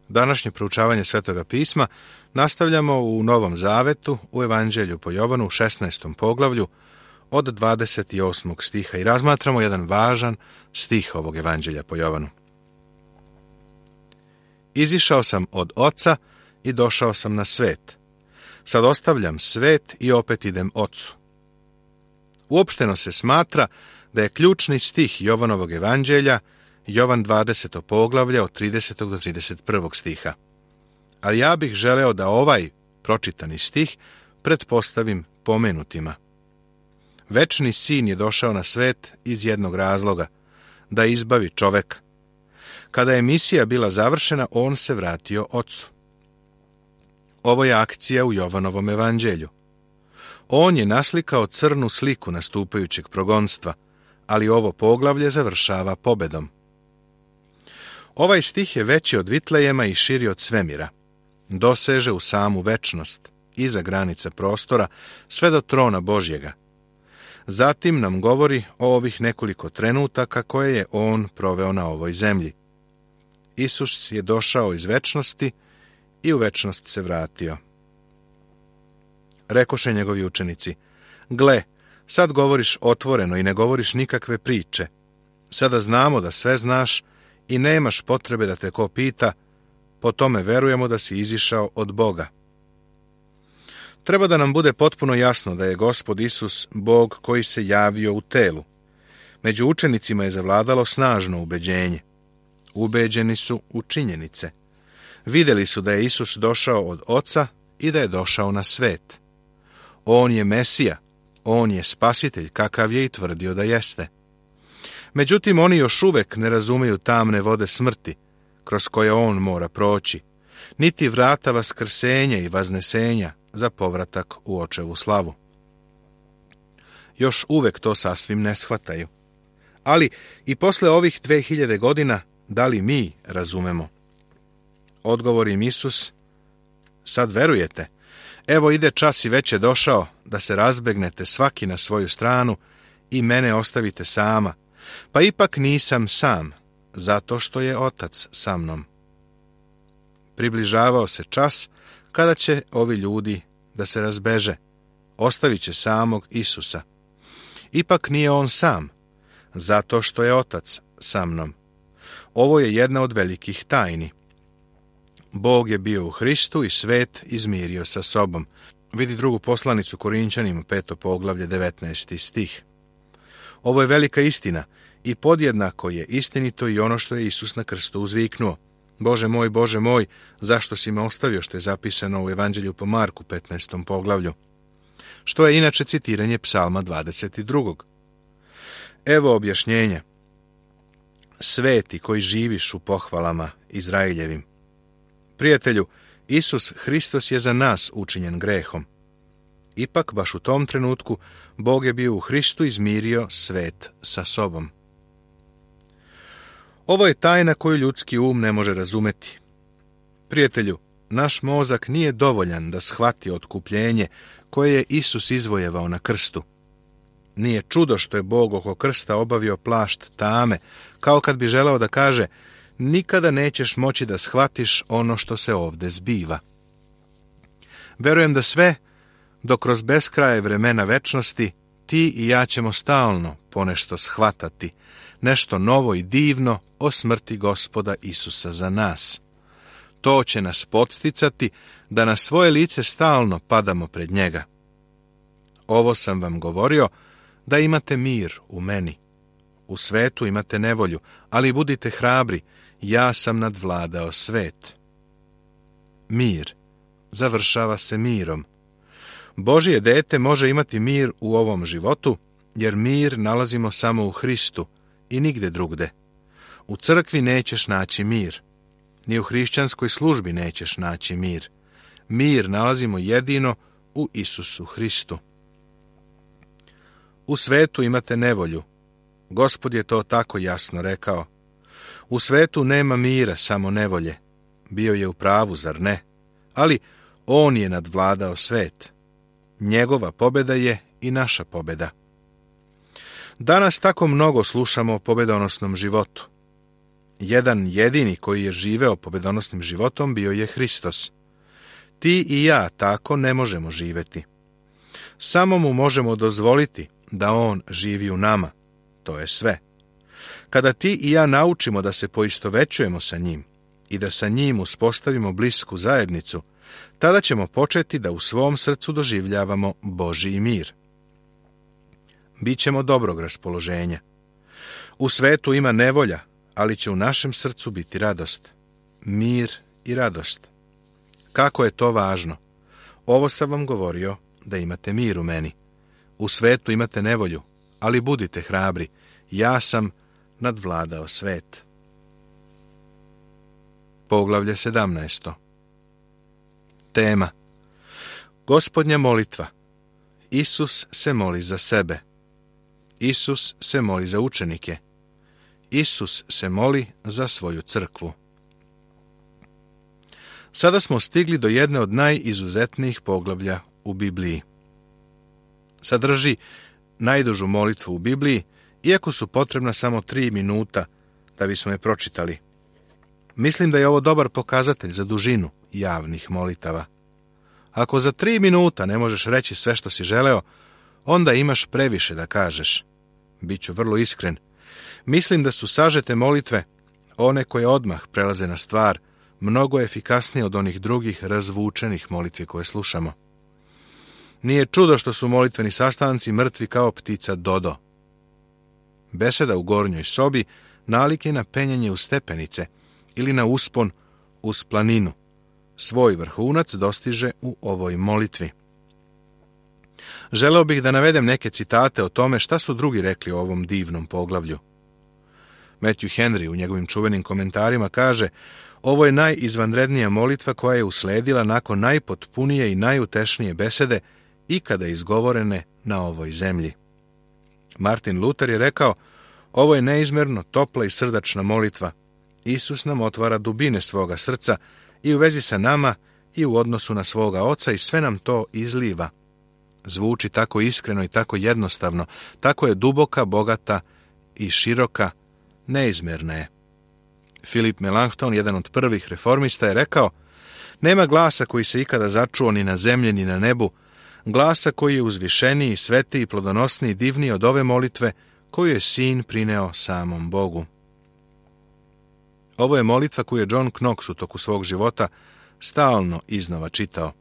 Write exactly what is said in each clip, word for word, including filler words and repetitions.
Današnje proučavanje Svetoga pisma nastavljamo u Novom Zavetu, u Evanđelju po Jovanu, u šesnaestom poglavlju, od dvadeset osmog stiha i razmatramo jedan važan stih ovog Evanđelja po Jovanu. Izišao sam od Oca i došao sam na svet. Sad ostavljam svet i opet idem Ocu. Uopšteno se smatra da je ključni stih Jovanovog Evanđelja Jovan dvadeseto poglavlje od tridesetog do trideset prvog stiha. Ali ja bih želeo da ovaj pročitani stih pretpostavim pomenutima. Večni sin je došao na svet iz jednog razloga, da izbavi čoveka. Kada je misija bila završena, on se vratio Ocu. Ovo je akcija u Jovanovom Evanđelju. On je naslikao crnu sliku nastupajućeg progonstva, ali ovo poglavlje završava pobedom. Ovaj stih je veći od Vitlejema i širi od svemira. Doseže u samu večnost, iza granica prostora, sve do trona Božjega. Zatim nam govori o ovih nekoliko trenutaka koje je on proveo na ovoj zemlji. Isus je došao iz večnosti i u večnost se vratio. Rekoše njegovi učenici: gle, sad govoriš otvoreno i ne govoriš nikakve priče. Sada znamo da sve znaš i nemaš potrebe da te ko pita, po tome verujemo da si izišao od Boga. Treba da nam bude potpuno jasno da je Gospod Isus Bog koji se javio u telu. Među učenicima je zavladalo snažno ubeđenje. Ubeđeni su u činjenice. Vidjeli su da je Isus došao od Oca i da je došao na svet. On je Mesija, on je Spasitelj, kakav je i tvrdio da jeste. Međutim, oni još uvek ne razumeju tamne vode smrti, kroz koje on mora proći, niti vrata vaskrsenja i vaznesenja za povratak u Očevu slavu. Još uvek to sasvim ne shvataju. Ali i posle ovih dve hiljade godina, da li mi razumemo? Odgovor im Isus: sad verujete? Evo ide čas i već je došao da se razbegnete svaki na svoju stranu i mene ostavite sama, pa ipak nisam sam, zato što je Otac sa mnom. Približavao se čas kada će ovi ljudi da se razbeže, ostavit će samog Isusa. Ipak nije on sam, zato što je Otac sa mnom. Ovo je jedna od velikih tajni. Bog je bio u Hristu i svet izmirio sa sobom. Vidi drugu poslanicu Korinćanima, peto poglavlje, devetnaesti stih. Ovo je velika istina i podjednako je istinito i ono što je Isus na krstu uzviknuo: Bože moj, Bože moj, zašto si me ostavio, što je zapisano u Evanđelju po Marku, petnaestom poglavlju, što je inače citiranje Psalma dvadeset drugog. Evo objašnjenja. Sveti koji živiš u pohvalama Izraeljevim. Prijatelju, Isus Hristos je za nas učinjen grehom. Ipak, baš u tom trenutku, Bog je bio u Hristu izmirio svet sa sobom. Ovo je tajna koju ljudski um ne može razumeti. Prijatelju, naš mozak nije dovoljan da shvati otkupljenje koje je Isus izvojevao na krstu. Nije čudo što je Bog oko krsta obavio plašt tame, kao kad bi želeo da kaže: nikada nećeš moći da shvatiš ono što se ovde zbiva. Verujem da sve, dok kroz beskraje vremena večnosti, ti i ja ćemo stalno ponešto shvatati, nešto novo i divno o smrti Gospoda Isusa za nas. To će nas podsticati da na svoje lice stalno padamo pred njega. Ovo sam vam govorio da imate mir u meni. U svetu imate nevolju, ali budite hrabri, ja sam nadvladao svet. Mir završava se mirom. Božje dete može imati mir u ovom životu, jer mir nalazimo samo u Hristu i nigde drugde. U crkvi nećeš naći mir. Ni u hrišćanskoj službi nećeš naći mir. Mir nalazimo jedino u Isusu Hristu. U svetu imate nevolju. Gospod je to tako jasno rekao. U svetu nema mira, samo nevolje. Bio je u pravu, zar ne? Ali on je nadvladao svet. Njegova pobjeda je i naša pobjeda. Danas tako mnogo slušamo o pobedonosnom životu. Jedan jedini koji je živeo pobedonosnim životom bio je Hristos. Ti i ja tako ne možemo živjeti. Samo mu možemo dozvoliti da on živi u nama. To je sve. Kada ti i ja naučimo da se poistovećujemo sa njim i da sa njim uspostavimo blisku zajednicu, tada ćemo početi da u svom srcu doživljavamo Božji mir. Bićemo dobrog raspoloženja. U svetu ima nevolja, ali će u našem srcu biti radost. Mir i radost. Kako je to važno? Ovo sam vam govorio da imate mir u meni. U svetu imate nevolju, ali budite hrabri. Ja sam nadvladao svet. Poglavlje sedamnaest. Tema. Gospodnja molitva. Isus se moli za sebe. Isus se moli za učenike. Isus se moli za svoju crkvu. Sada smo stigli do jedne od najizuzetnijih poglavlja u Bibliji. Sadrži najdužu molitvu u Bibliji, iako su potrebna samo tri minuta da bismo je pročitali. Mislim da je ovo dobar pokazatelj za dužinu javnih molitava. Ako za tri minuta ne možeš reći sve što si želeo, onda imaš previše da kažeš. Biću vrlo iskren. Mislim da su sažete molitve, one koje odmah prelaze na stvar, mnogo efikasnije od onih drugih razvučenih molitvi koje slušamo. Nije čudo što su molitveni sastanci mrtvi kao ptica Dodo. Beseda u gornjoj sobi nalik je na penjanje u stepenice ili na uspon uz planinu. Svoj vrhunac dostiže u ovoj molitvi. Želeo bih da navedem neke citate o tome šta su drugi rekli o ovom divnom poglavlju. Matthew Henry u njegovim čuvenim komentarima kaže: ovo je najizvanrednija molitva koja je usledila nakon najpotpunije i najutešenije besede ikada izgovorene na ovoj zemlji. Martin Luther je rekao: ovo je neizmerno topla i srdačna molitva. Isus nam otvara dubine svoga srca i u vezi sa nama i u odnosu na svoga Oca i sve nam to izliva. Zvuči tako iskreno i tako jednostavno, tako je duboka, bogata i široka, neizmjerna je. Philip Melanchthon, jedan od prvih reformista, je rekao: nema glasa koji se ikada začuo ni na zemlji ni na nebu, glasa koji je uzvišeniji, svetiji, plodonosniji, divniji od ove molitve koju je sin prineo samom Bogu. Ovo je molitva koju je John Knox u toku svog života stalno iznova čitao.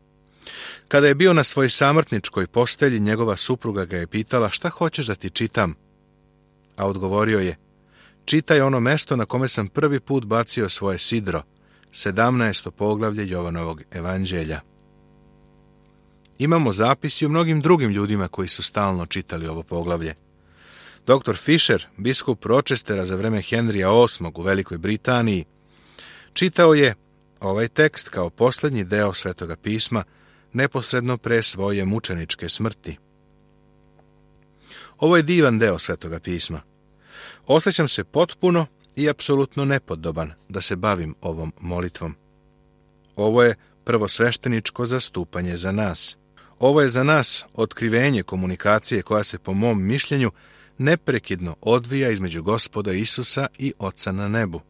Kada je bio na svojoj samrtničkoj postelji, njegova supruga ga je pitala: šta hoćeš da ti čitam? A odgovorio je: čitaj ono mesto na kome sam prvi put bacio svoje sidro, sedamnaesto poglavlje Jovanovog evanđelja. Imamo zapis i o mnogim drugim ljudima koji su stalno čitali ovo poglavlje. doktor Fisher, biskup Rochestera za vreme Henrija osmog u Velikoj Britaniji, čitao je ovaj tekst kao posljednji deo Svetoga pisma neposredno pre svoje mučeničke smrti. Ovo je divan deo Svetoga pisma. Osjećam se potpuno i apsolutno nepodoban da se bavim ovom molitvom. Ovo je prvosvešteničko zastupanje za nas. Ovo je za nas otkrivenje komunikacije koja se, po mom mišljenju, neprekidno odvija između Gospoda Isusa i Oca na nebu.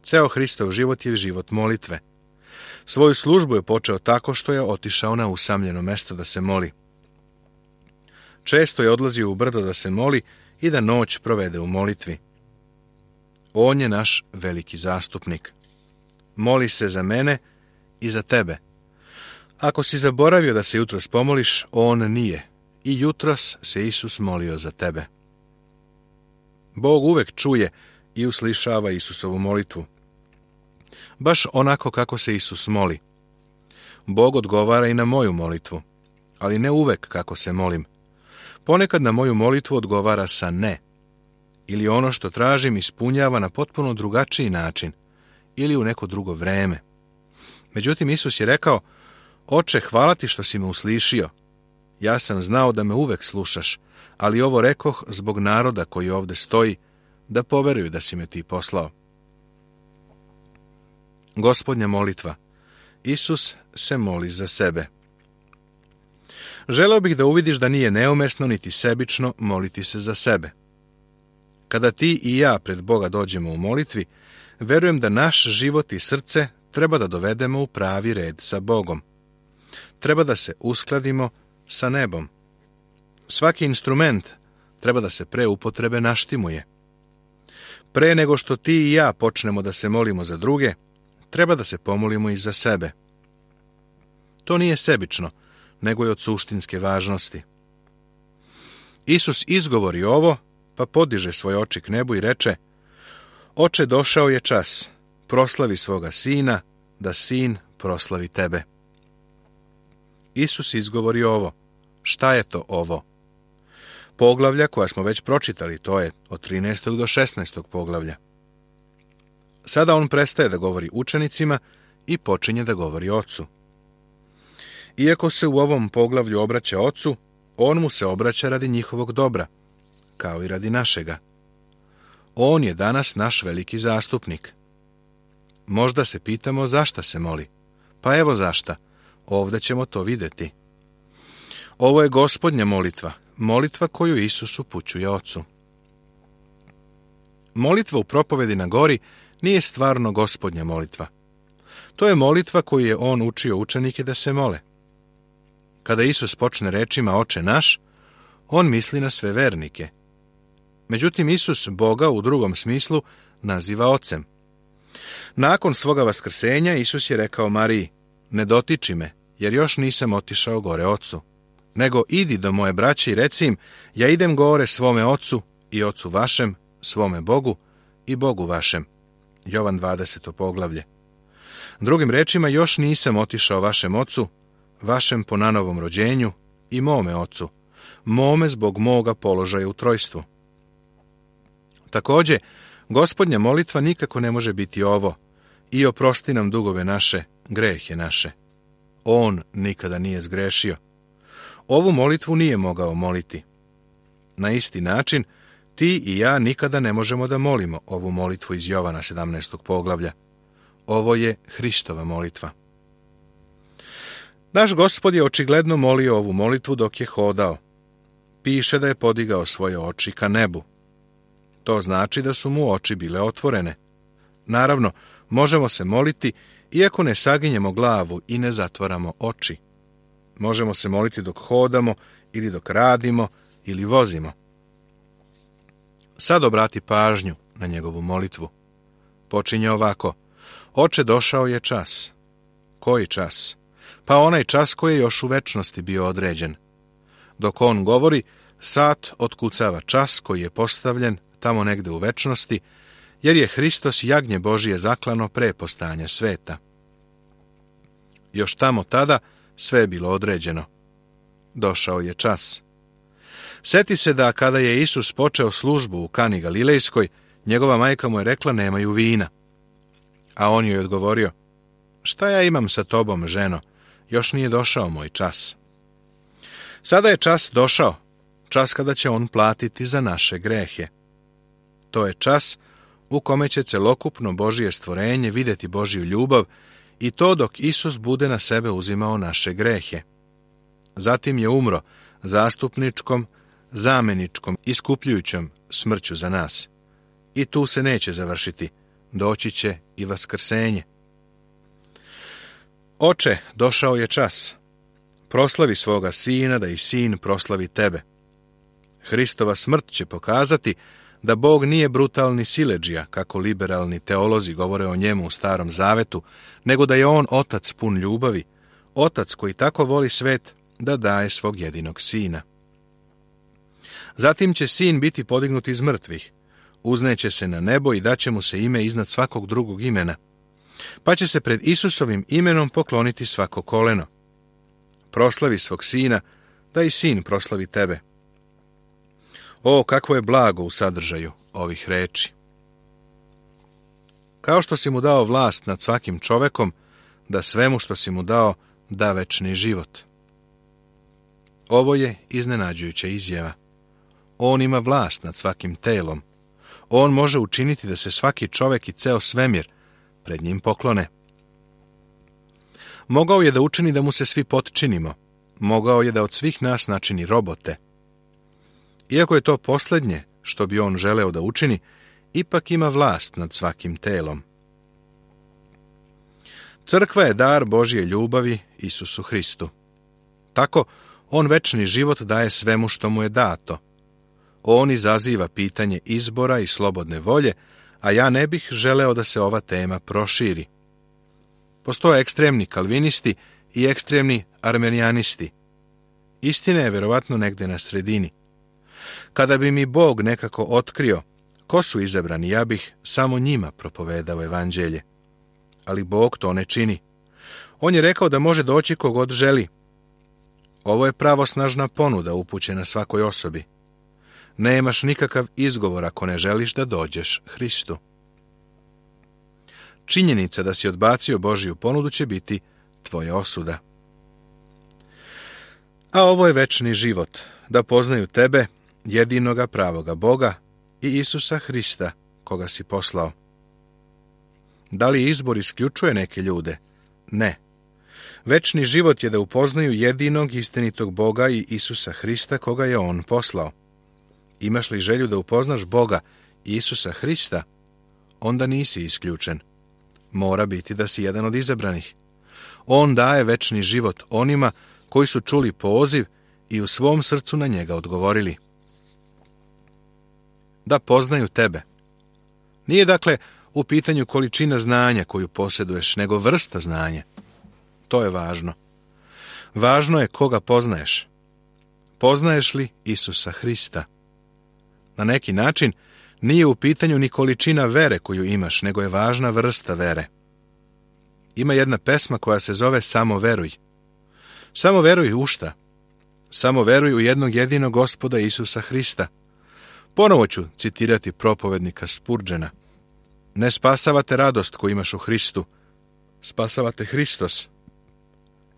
Ceo Hristov život je život molitve. Svoju službu je počeo tako što je otišao na usamljeno mesto da se moli. Često je odlazio u brdo da se moli i da noć provede u molitvi. On je naš veliki zastupnik. Moli se za mene i za tebe. Ako si zaboravio da se jutros pomoliš, on nije. I jutros se Isus molio za tebe. Bog uvek čuje i uslišava Isusovu molitvu. Baš onako kako se Isus moli. Bog odgovara i na moju molitvu, ali ne uvek kako se molim. Ponekad na moju molitvu odgovara sa ne. Ili ono što tražim ispunjava na potpuno drugačiji način, ili u neko drugo vreme. Međutim, Isus je rekao: Oče, hvala ti što si me uslišio. Ja sam znao da me uvek slušaš, ali ovo rekoh zbog naroda koji ovde stoji, da poveruju da si me ti poslao. Gospodnja molitva. Isus se moli za sebe. Želeo bih da uvidiš da nije neumesno niti sebično moliti se za sebe. Kada ti i ja pred Boga dođemo u molitvi, verujem da naš život i srce treba da dovedemo u pravi red sa Bogom. Treba da se uskladimo sa nebom. Svaki instrument treba da se pre upotrebe naštimuje. Pre nego što ti i ja počnemo da se molimo za druge, treba da se pomolimo i za sebe. To nije sebično, nego je od suštinske važnosti. Isus izgovori ovo, pa podiže svoje oči k nebu i reče: Oče, došao je čas, proslavi svoga sina, da sin proslavi tebe. Isus izgovori ovo. Šta je to ovo? Poglavlja koja smo već pročitali, to je od trinaestog do šesnaestog poglavlja. Sada on prestaje da govori učenicima i počinje da govori Ocu. Iako se u ovom poglavlju obraća Ocu, on mu se obraća radi njihovog dobra, kao i radi našega. On je danas naš veliki zastupnik. Možda se pitamo zašta se moli. Pa evo zašta. Ovdje ćemo to vidjeti. Ovo je Gospodnja molitva, molitva koju Isus upućuje Ocu. Molitva u propovedi na gori nije stvarno Gospodnja molitva. To je molitva koju je on učio učenike da se mole. Kada Isus počne rečima Oče naš, on misli na sve vernike. Međutim, Isus Boga u drugom smislu naziva Ocem. Nakon svoga vaskrsenja Isus je rekao Mariji: Ne dotiči me, jer još nisam otišao gore Ocu, nego idi do moje braće i reci im: Ja idem gore svome Ocu i Ocu vašem, svome Bogu i Bogu vašem. Jovan dvadeseto poglavlje. Drugim rečima, još nisam otišao vašem Ocu, vašem po nanovom rođenju, i mome Ocu, mome zbog moga položaja u trojstvu. Također, Gospodnja molitva nikako ne može biti ovo: I oprosti nam dugove naše, grehe naše. On nikada nije zgrešio. Ovu molitvu nije mogao moliti. Na isti način, ti i ja nikada ne možemo da molimo ovu molitvu iz Jovana sedamnaestog poglavlja. Ovo je Hristova molitva. Naš Gospod je očigledno molio ovu molitvu dok je hodao. Piše da je podigao svoje oči ka nebu. To znači da su mu oči bile otvorene. Naravno, možemo se moliti iako ne saginjemo glavu i ne zatvaramo oči. Možemo se moliti dok hodamo ili dok radimo ili vozimo. Sad obrati pažnju na njegovu molitvu. Počinje ovako: Oče, došao je čas. Koji čas? Pa onaj čas koji je još u večnosti bio određen. Dok on govori, sat otkucava čas koji je postavljen tamo negde u večnosti, jer je Hristos jagnje Božije zaklano pre postajanja sveta. Još tamo tada sve je bilo određeno. Došao je čas. Seti se da kada je Isus počeo službu u Kani Galilejskoj, njegova majka mu je rekla: Nemaju vina. A on joj je odgovorio: Šta ja imam sa tobom, ženo? Još nije došao moj čas. Sada je čas došao, čas kada će on platiti za naše grehe. To je čas u kome će celokupno Božije stvorenje vidjeti Božju ljubav, i to dok Isus bude na sebe uzimao naše grehe. Zatim je umro zastupničkom, zameničkom, iskupljujućom smrću za nas. I tu se neće završiti, doći će i vaskrsenje. Oče, došao je čas. Proslavi svoga sina, da i sin proslavi tebe. Hristova smrt će pokazati da Bog nije brutalni siledžija, kako liberalni teolozi govore o njemu u Starom Zavetu, nego da je on otac pun ljubavi, otac koji tako voli svet da daje svog jedinog sina. Zatim će sin biti podignut iz mrtvih, uzneće se na nebo i daće mu se ime iznad svakog drugog imena, pa će se pred Isusovim imenom pokloniti svako koleno. Proslavi svog sina, da i sin proslavi tebe. O, kakvo je blago u sadržaju ovih reči. Kao što si mu dao vlast nad svakim čovekom, da svemu što si mu dao da večni život. Ovo je iznenađujuća izjava. On ima vlast nad svakim telom. On može učiniti da se svaki čovek i ceo svemir pred njim poklone. Mogao je da učini da mu se svi potčinimo. Mogao je da od svih nas načini robote. Iako je to posljednje što bi on želeo da učini, ipak ima vlast nad svakim telom. Crkva je dar Božje ljubavi Isusu Hristu. Tako, on večni život daje svemu što mu je dato. On izaziva pitanje izbora i slobodne volje, a ja ne bih želeo da se ova tema proširi. Postoje ekstremni kalvinisti i ekstremni armenijanisti. Istina je verovatno negde na sredini. Kada bi mi Bog nekako otkrio ko su izabrani, ja bih samo njima propovedao evanđelje. Ali Bog to ne čini. On je rekao da može doći kogod želi. Ovo je pravosnažna ponuda upućena svakoj osobi. Nemaš nikakav izgovor ako ne želiš da dođeš Hristu. Činjenica da si odbacio Božju ponudu će biti tvoja osuda. A ovo je večni život, da poznaju tebe, jedinoga pravoga Boga i Isusa Hrista, koga si poslao. Da li izbor isključuje neke ljude? Ne. Večni život je da upoznaju jedinog istinitog Boga i Isusa Hrista, koga je on poslao. Imaš li želju da upoznaš Boga i Isusa Hrista? Onda nisi isključen. Mora biti da si jedan od izabranih. On daje večni život onima koji su čuli poziv i u svom srcu na njega odgovorili. Da poznaju tebe. Nije dakle u pitanju količina znanja koju posjeduješ, nego vrsta znanja. To je važno. Važno je koga poznaješ. Poznaješ li Isusa Hrista? Na neki način nije u pitanju ni količina vere koju imaš, nego je važna vrsta vere. Ima jedna pesma koja se zove Samo veruj. Samo veruj u šta? Samo veruj u jednog jedinog Gospoda Isusa Hrista. Ponovo ću citirati propovednika Spurgeona. Ne spasavate radost koju imaš u Hristu, spasavate Hristos.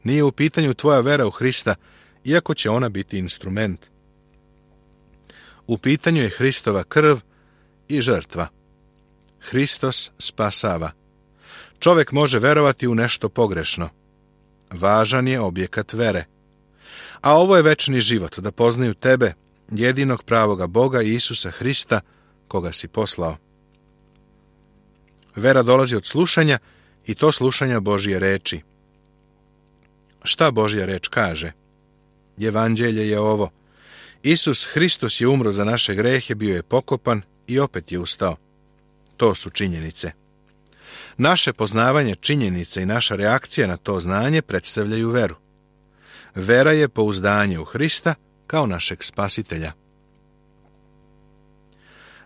Nije u pitanju tvoja vera u Hrista, iako će ona biti instrument. U pitanju je Hristova krv i žrtva. Hristos spasava. Čovjek može verovati u nešto pogrešno. Važan je objekat vere. A ovo je večni život, da poznaju tebe, jedinog pravoga Boga i Isusa Hrista, koga si poslao. Vera dolazi od slušanja i to slušanja Božje reči. Šta Božja reč kaže? Evanđelje je ovo. Isus Hristos je umro za naše grehe, bio je pokopan i opet je ustao. To su činjenice. Naše poznavanje činjenice i naša reakcija na to znanje predstavljaju veru. Vera je pouzdanje u Hrista kao našeg spasitelja.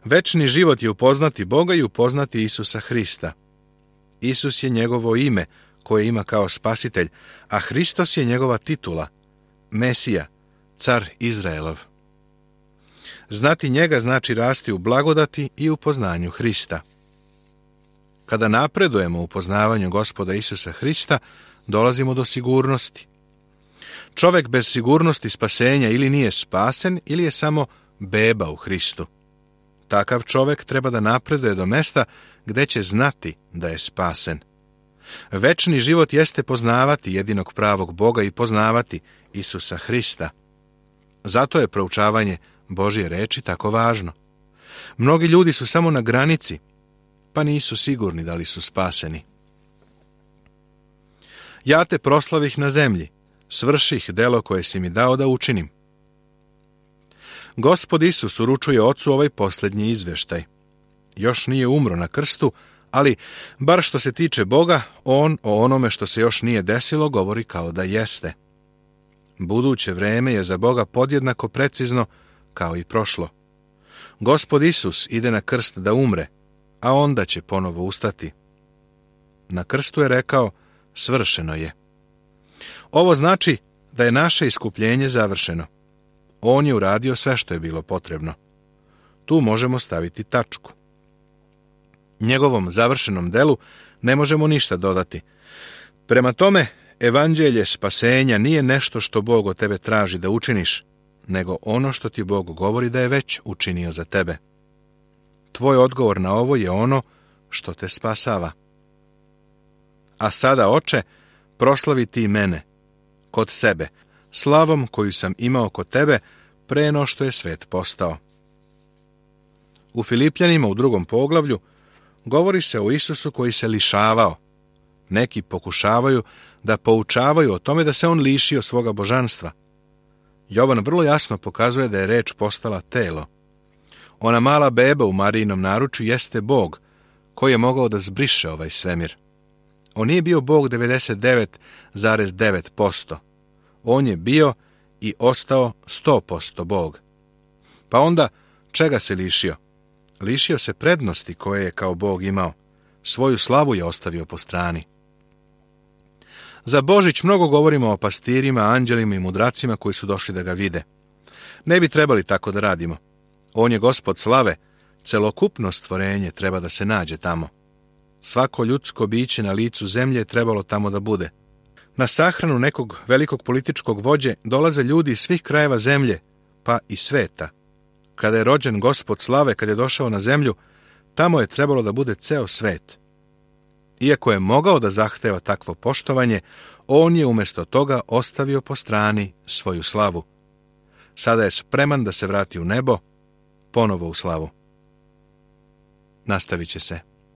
Večni život je upoznati Boga i upoznati Isusa Hrista. Isus je njegovo ime koje ima kao spasitelj, a Hristos je njegova titula, Mesija, car Izraelov. Znati njega znači rasti u blagodati i u poznanju Hrista. Kada napredujemo u poznavanju Gospoda Isusa Hrista, dolazimo do sigurnosti. Čovjek bez sigurnosti spasenja ili nije spasen ili je samo beba u Hristu. Takav čovjek treba da napreduje do mesta gdje će znati da je spasen. Večni život jeste poznavati jedinog pravog Boga i poznavati Isusa Hrista. Zato je proučavanje Božje reči tako važno. Mnogi ljudi su samo na granici, pa nisu sigurni da li su spaseni. Ja te proslavih na zemlji, svrših delo koje si mi dao da učinim. Gospod Isus uručuje Ocu ovaj posljednji izveštaj. Još nije umro na krstu, ali, bar što se tiče Boga, on o onome što se još nije desilo govori kao da jeste. Buduće vreme je za Boga podjednako precizno kao i prošlo. Gospod Isus ide na krst da umre, a onda će ponovo ustati. Na krstu je rekao, svršeno je. Ovo znači da je naše iskupljenje završeno. On je uradio sve što je bilo potrebno. Tu možemo staviti tačku. Njegovom završenom delu ne možemo ništa dodati. Prema tome, evanđelje spasenja nije nešto što Bog od tebe traži da učiniš, nego ono što ti Bog govori da je već učinio za tebe. Tvoj odgovor na ovo je ono što te spasava. A sada, Oče, proslavi ti mene, kod sebe, slavom koju sam imao kod tebe, pre no što je svet postao. U Filipljanima u drugom poglavlju govori se o Isusu koji se lišavao. Neki pokušavaju da poučavaju o tome da se on lišio svoga božanstva. Jovan vrlo jasno pokazuje da je reč postala telo. Ona mala beba u Marijinom naručju jeste Bog, koji je mogao da zbriše ovaj svemir. On nije bio Bog devedeset devet zarez devet posto. On je bio i ostao sto posto Bog. Pa onda, čega se lišio? Lišio se prednosti koje je kao Bog imao. Svoju slavu je ostavio po strani. Za Božić mnogo govorimo o pastirima, anđelima i mudracima koji su došli da ga vide. Ne bi trebali tako da radimo. On je Gospod slave, celokupno stvorenje treba da se nađe tamo. Svako ljudsko biće na licu zemlje je trebalo tamo da bude. Na sahranu nekog velikog političkog vođe dolaze ljudi iz svih krajeva zemlje, pa i sveta. Kada je rođen Gospod slave, kad je došao na zemlju, tamo je trebalo da bude ceo svet. Iako je mogao da zahteva takvo poštovanje, on je umjesto toga ostavio po strani svoju slavu. Sada je spreman da se vrati u nebo, ponovo u slavu. Nastavit će se.